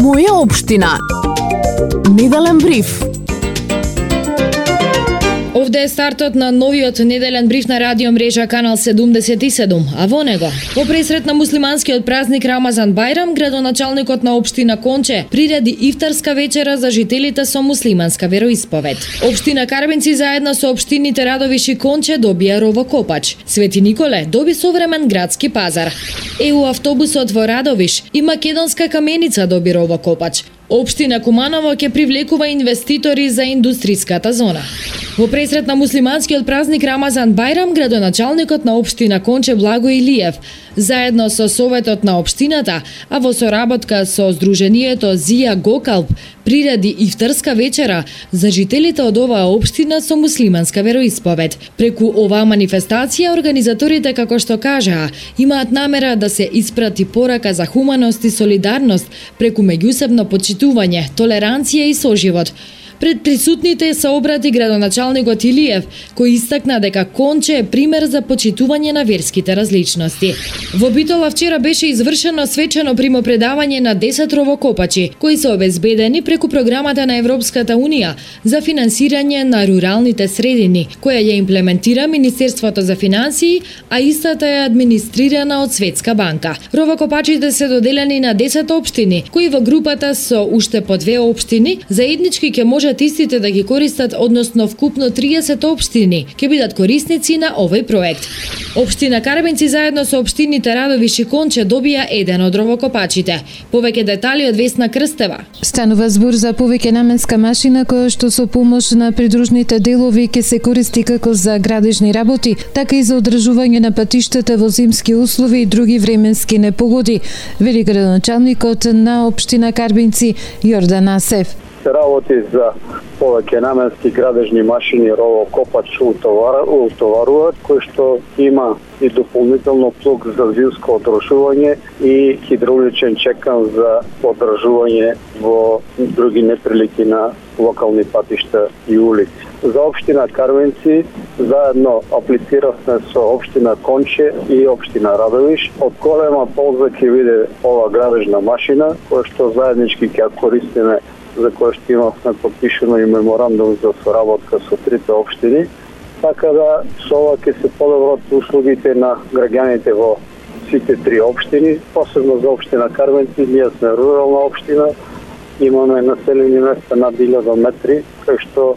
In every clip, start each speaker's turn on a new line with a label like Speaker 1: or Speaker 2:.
Speaker 1: Моја општина. Неделен бриф.
Speaker 2: Овде е стартот на новиот неделен бриф на радио мрежа Канал 77, а во него, во пресрет на муслиманскиот празник Рамазан Бајрам, градоначалникот на општина Конче приреди ифтарска вечера за жителите со муслиманска вероисповед. Општина Карбенци заедно со општините Радовиш и Конче добија ровокопач. Свети Николе доби современ градски пазар. ЕУ автобусот во Радовиш и Македонска каменица доби ровокопач. Општина Куманово ќе привлекува инвеститори за индустриската зона. Во пресрет на муслиманскиот празник Рамазан Бајрам, градоначалникот на општина Конче Благо Илиев, заедно со советот на општината, а во соработка со Сдруженијето Зија Гокалп, приреди ифтарска вечера за жителите од оваа општина со муслиманска вероисповед. Преку оваа манифестација, организаторите, како што кажаа, имаат намера да се испрати порака за хуманост и солидарност преку меѓусебно почитување, толеранција и соживот. Пред присутните се обрати градоначалникот Илиев, кој истакна дека Конче е пример за почитување на верските различности. Во Битола вчера беше извршено свечено примопредавање на 10 ровокопачи, кои се обезбедени преку програмата на Европската Унија за финансирање на руралните средини, која ја имплементира Министерството за финансии, а истата е администрирана од Светска банка. Ровокопачите се доделени на 10 општини, кои во групата со уште по 2 општини заеднички ќе можат истите да ги користат, односно вкупно 30 општини ќе бидат корисници на овој проект. Општина Карбенци заедно со општините Радовиш и Конче добија еден од ровокопачите. Повеќе детали од Весна Крстева.
Speaker 3: Станува збор за повеќе наменска машина која што со помош на придружните делови ќе се користи како за градежни работи, така и за одржување на патиштата во зимски услови и други временски непогоди, вели градоначалникот на општина Карбенци Јордан Асев.
Speaker 4: Се работи за повеќе наменски градежни машини, ровокопач утоваруваат, кој што има и дополнително плуг за зимско одржување и хидравличен чекан за одржување во други неприлики на локални патишта и улици. За општина Карвенци заедно аплициравме со општина Конче и општина Радовиш. Од голема полза ќе биде ова градежна машина, која што заеднички ќе користиме, за која што имавме подпишено и меморандум за соработка со трите општини, така да со ова ќе се подобрат услугите на граѓаните во сите три општини, посебно за општина Карвенци. Ние сме рурална општина, имаме населени места над 1000 метри, кај што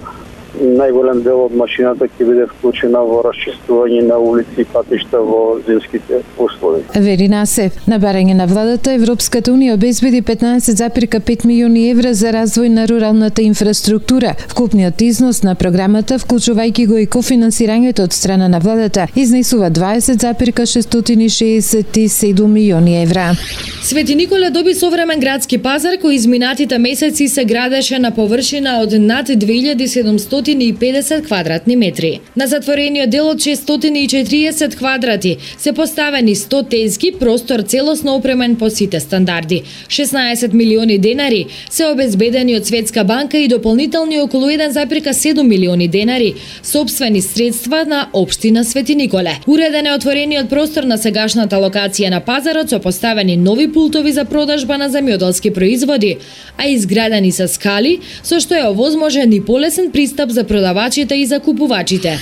Speaker 4: најголем дел од машината ќе биде вклучена во расчистување на улици и патишта во зимските услови.
Speaker 3: Вели Насев, на барање на владата, Европската Унија обезбеди 15,5 милиони евра за развој на руралната инфраструктура. Вкупниот износ на програмата, вклучувајќи го и кофинансирањето од страна на владата, изнесува 20,667 милиони евра.
Speaker 2: Свети Николе доби современ градски пазар кој изминатите месеци се градеше на површина од над 2750 квадратни метри. На затворениот дел од 640 квадрати се поставени 100 тезги, простор целосно опремен по сите стандарди. 16 милиони денари се обезбедени од Светска банка и дополнителни околу 1,7 милиони денари сопствени средства на општина Свети Николе. Уреден е отворениот простор на сегашната локација на пазарот со поставени нови пултови за продажба на земјоделски производи, а изградени со скали, со што е овозможен и полесен пристап за продавачите и закупувачите.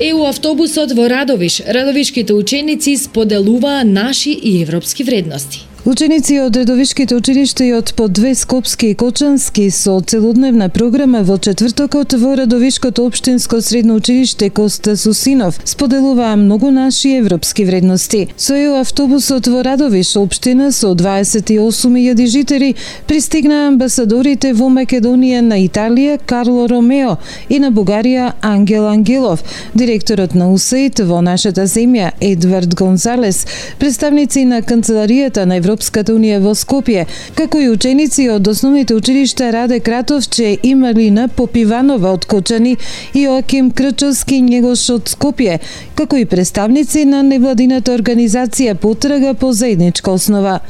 Speaker 2: ЕУ автобусот во Радовиш, радовишките ученици споделуваа наши и европски вредности.
Speaker 3: Ученици од редовишките училишта и од по 2 Скопски и Кочански со целодневна програма во четвртокот во Радовишкото општинско средно училиште Коста Сусинов споделуваа многу наши европски вредности. Со ЕУ автобусот во Радовиш општина со 28.000 жители пристигнаа амбасадорите во Македонија на Италија Карло Ромео и на Бугарија Ангел Ангелов, директорот на УСАИД во нашата земја Едвард Гонзалес, представници на канцеларијата на Европската Унија во Скопје, како и ученици од основните училишта Раде Кратовче и Малина Попиванова од Кочани и Оаким Крчовски Njegos од Скопје, како и представници на невладината организација Потрага по заедничка основа.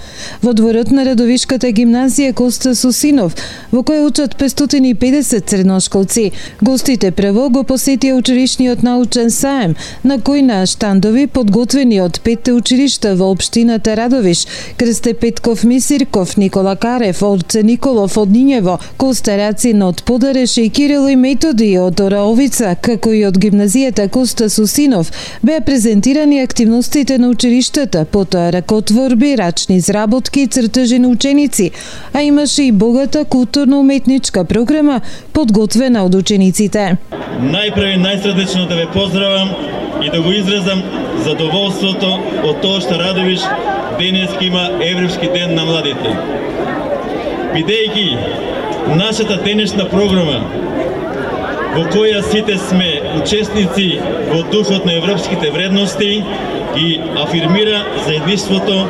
Speaker 3: Во дворот на Радовишката гимназија Коста Сусинов, во која учат 550 средношколци, гостите прво го посетија училишниот научен саем, на кој на штандови подготвени од 5 училишта во општината Радовиш, Крсте Петков Мисирков, Никола Карев, Орце Николов од Нињево, Коста Рацин од Подареше и Кирило и Методи од Ораовица, како и од гимназијата Коста Сусинов, беа презентирани активностите на училиштата, потоа ракотворби, рачни изработки и цртежи на ученици, а имаше и богата културно-уметничка програма подготвена од учениците.
Speaker 5: Најпрви најсрдечно да ве поздравам и да го изразам задоволството од тоа што Радовиш денеска има Европски ден на младите. Бидејќи нашата денешна програма, во која сите сме учесници во духот на европските вредности, и афирмира заедништвото,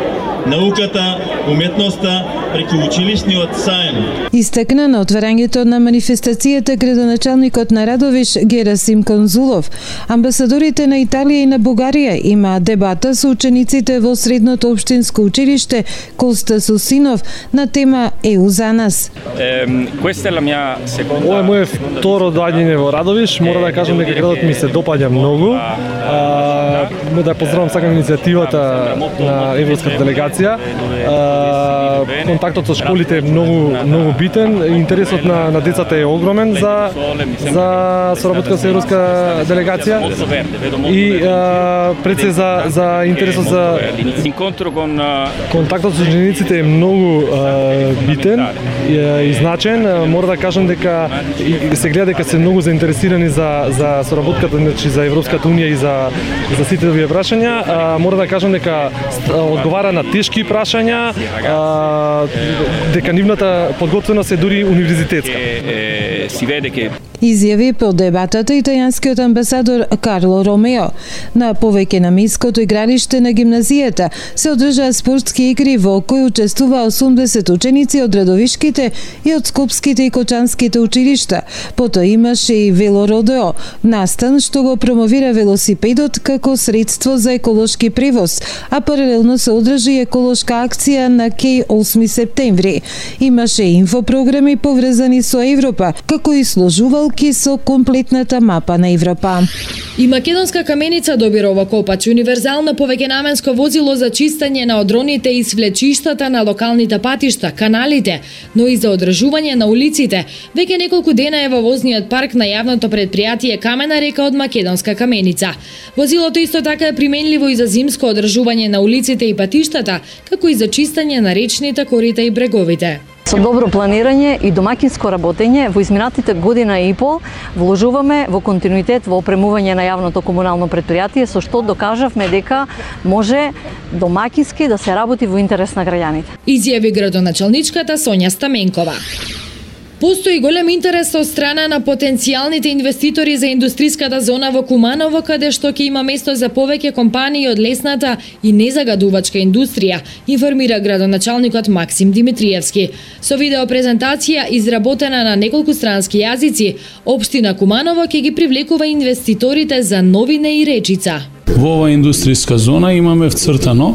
Speaker 5: науката, уметноста преку училишниот саем.
Speaker 3: Истакна на отварањето на манифестацијата градоначалникот на Радовиш Герасим Конзулов. Амбасадорите на Италија и на Бугарија имаат дебата со учениците во Средното општинско училиште Коста Сусинов на тема ЕУ за нас.
Speaker 6: Ова е моје второ доаѓање во Радовиш. Мора да кажам дека градот ми се допаѓа многу. Да поздравам сакам иницијативата на европската делегација. Контактот со школите е многу битен. Интересот на децата е огромен за соработка со европска делегација и пред се за интересот за контактот со учениците е многу битен и значен. Мора да кажам дека се гледа дека се многу заинтересирани за соработката, значи за Европската унија и за сите овие прашања. Мора да кажам дека одговара на тешки прашања, дека нивната подготвеност е дури универзитетска.
Speaker 3: Изјави по дебатата италијанскиот амбасадор Карло Ромео. На повеќе на миското игралиште на гимназијата се одржаа спортски игри во кои учествуваа 80 ученици од Радовишките и од Скопските и Кочанските училишта. Потоа имаше и велородео, настан што го промовира велосипедот како средство за еколошки превоз, а паралелно се одржи еколошка акција на Кеј 8 септември. Имаше инфопрограми поврзани со Европа, како и сложувалки со комплетната мапа на Европа.
Speaker 2: И македонска каменица добирова Копач, универзално повеќенаменско возило за чистење на одроните и свлечиштата на локалните патишта, каналите, но и за одржување на улиците. Веќе неколку дена е во возниот парк на јавното предпријатие Камена река од македонска каменица. Возилото исто така е применливо и за зимско одржување на улиците и патиштата, како и за чистење на речните корита и бреговите.
Speaker 7: Со добро планирање и домакинско работење во изминатите година и пол вложуваме во континуитет во опремување на јавното комунално предпријатие, со што докажавме дека може домакински да се работи во интерес на граѓаните.
Speaker 2: Изјави градоначалничката Сонја Стаменкова. Постои голем интерес од страна на потенцијалните инвеститори за индустриската зона во Куманово, каде што ќе има место за повеќе компании од лесната и незагадувачка индустрија, информира градоначалникот Максим Димитриевски. Со видеопрезентација изработена на неколку странски јазици, општина Куманово ќе ги привлекува инвеститорите за Новине и Речица.
Speaker 8: Во оваа индустријска зона имаме вцртано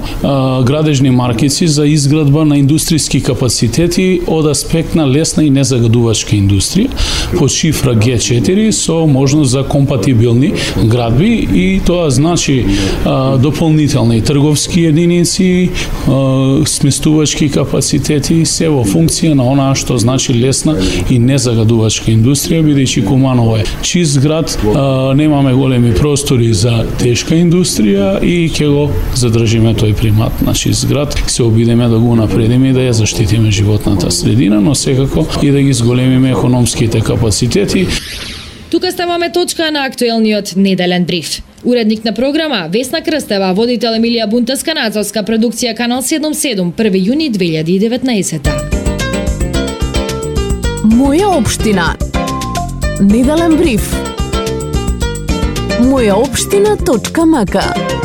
Speaker 8: градежни маркици за изградба на индустријски капацитети од аспект на лесна и незагадувачка индустрија по шифра G4 со можност за компатибилни градби, и тоа значи дополнителни трговски единици, сместувачки капацитети, се во функција на онаа што значи лесна и незагадувачка индустрија, бидејќи Куманово е чист град, немаме големи простори за тешка индустрија и ќе го задржиме тој примат на чист град. Се обидеме да го напредиме и да ја заштитиме животната средина, но секако и да ги зголемиме економските капацитети.
Speaker 2: Тука ставаме точка на актуелниот неделен бриф. Уредник на програма Весна Крстева, водител Емилија Бунтеска, надзорска продукција Канал 77, 1 јуни 2019.
Speaker 1: Моја општина. Неделен бриф. Мојаопштина.мк